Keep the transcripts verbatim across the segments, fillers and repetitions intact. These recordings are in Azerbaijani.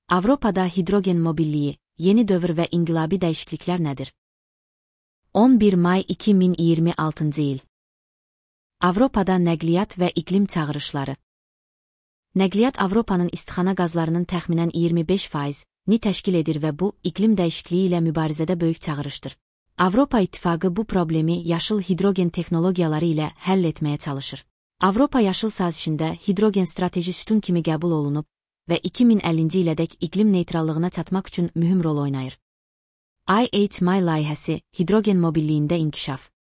Avropada hidrogen mobilliyi, yeni dövr və inqilabi dəyişikliklər nədir? on bir may iki min iyirmi altıncı il. Avropada nəqliyyat və iqlim çağırışları. Nəqliyyat Avropanın istixana qazlarının təxminən iyirmi beş faizini təşkil edir və bu, iqlim dəyişikliyi ilə mübarizədə böyük çağırışdır. Avropa İttifaqı bu problemi yaşıl hidrogen texnologiyaları ilə həll etməyə çalışır. Avropa yaşıl sazişində hidrogen strateji sütun kimi qəbul olunub və iki min əllinci ilədək iqlim neytrallığına çatmaq üçün mühüm rol oynayır. I H M layihəsi, hidrogen mobilliyində inkişaf.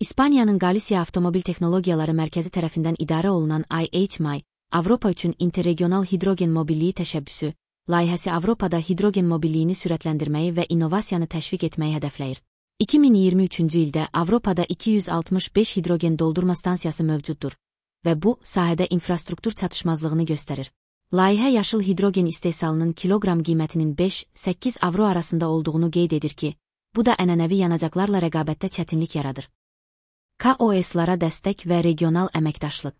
İspaniyanın Galisiya Avtomobil Texnologiyaları Mərkəzi tərəfindən idarə olunan I H M, Avropa üçün interregional hidrogen mobilliyi təşəbbüsü, layihəsi Avropada hidrogen mobilliyini sürətləndirməyi və innovasiyanı təşviq etməyi hədəfləyir. iki min iyirmi üçüncü ildə Avropada iki yüz altmış beş hidrogen doldurma stansiyası mövcuddur və bu, sahədə infrastruktur çatışmazlığını göstərir. Layihə yaşıl hidrogen istehsalının kiloqram qiymətinin beş səkkiz avro arasında olduğunu qeyd edir ki, bu da ənənəvi yanacaqlarla rəqabətdə çətinlik yaradır. K O S-lara dəstək və regional əməkdaşlıq.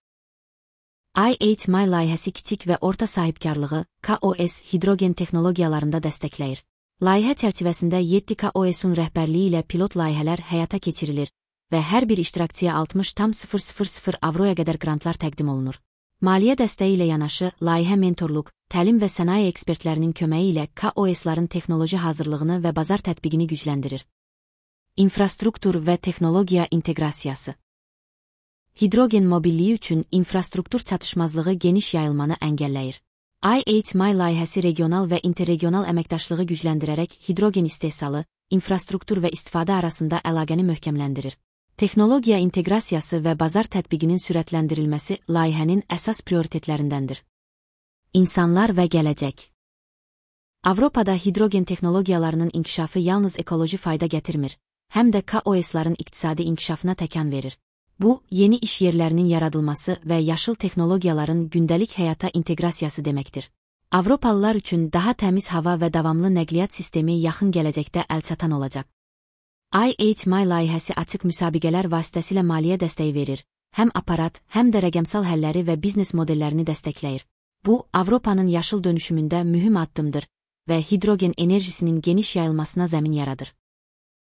I H M layihəsi kiçik və orta sahibkarlığı K O S hidrogen texnologiyalarında dəstəkləyir. Layihə çərçivəsində yeddi K O S-un rəhbərliyi ilə pilot layihələr həyata keçirilir və hər bir iştirakçıya altmış tam sıfır sıfır sıfır avroya qədər qrantlar təqdim olunur. Maliyyə dəstəyi ilə yanaşı, layihə mentorluq, təlim və sənaye ekspertlərinin köməyi ilə K O S-ların texnoloji hazırlığını və bazar tətbiqini gücləndirir. İnfrastruktur və texnologiya inteqrasiyası. Hidrogen mobilliyi üçün infrastruktur çatışmazlığı geniş yayılmanı əngəlləyir. I H M layihəsi regional və interregional əməkdaşlığı gücləndirərək hidrogen istehsalı, infrastruktur və istifadə arasında əlaqəni möhkəmləndirir. Texnologiya inteqrasiyası və bazar tətbiqinin sürətləndirilməsi layihənin əsas prioritetlərindəndir. İnsanlar və gələcək. Avropada hidrogen texnologiyalarının inkişafı yalnız ekoloji fayda gətirmir, həm də K O S-ların iqtisadi inkişafına təkan verir. Bu, yeni iş yerlərinin yaradılması və yaşıl texnologiyaların gündəlik həyata inteqrasiyası deməkdir. Avropalılar üçün daha təmiz hava və davamlı nəqliyyat sistemi yaxın gələcəkdə əlçatan olacaq. I H M layihəsi açıq müsabiqələr vasitəsilə maliyyə dəstəyi verir, həm aparat, həm də rəqəmsal həlləri və biznes modellərini dəstəkləyir. Bu, Avropanın yaşıl dönüşümündə mühüm addımdır və hidrogen enerjisinin geniş yayılmasına zəmin yaradır.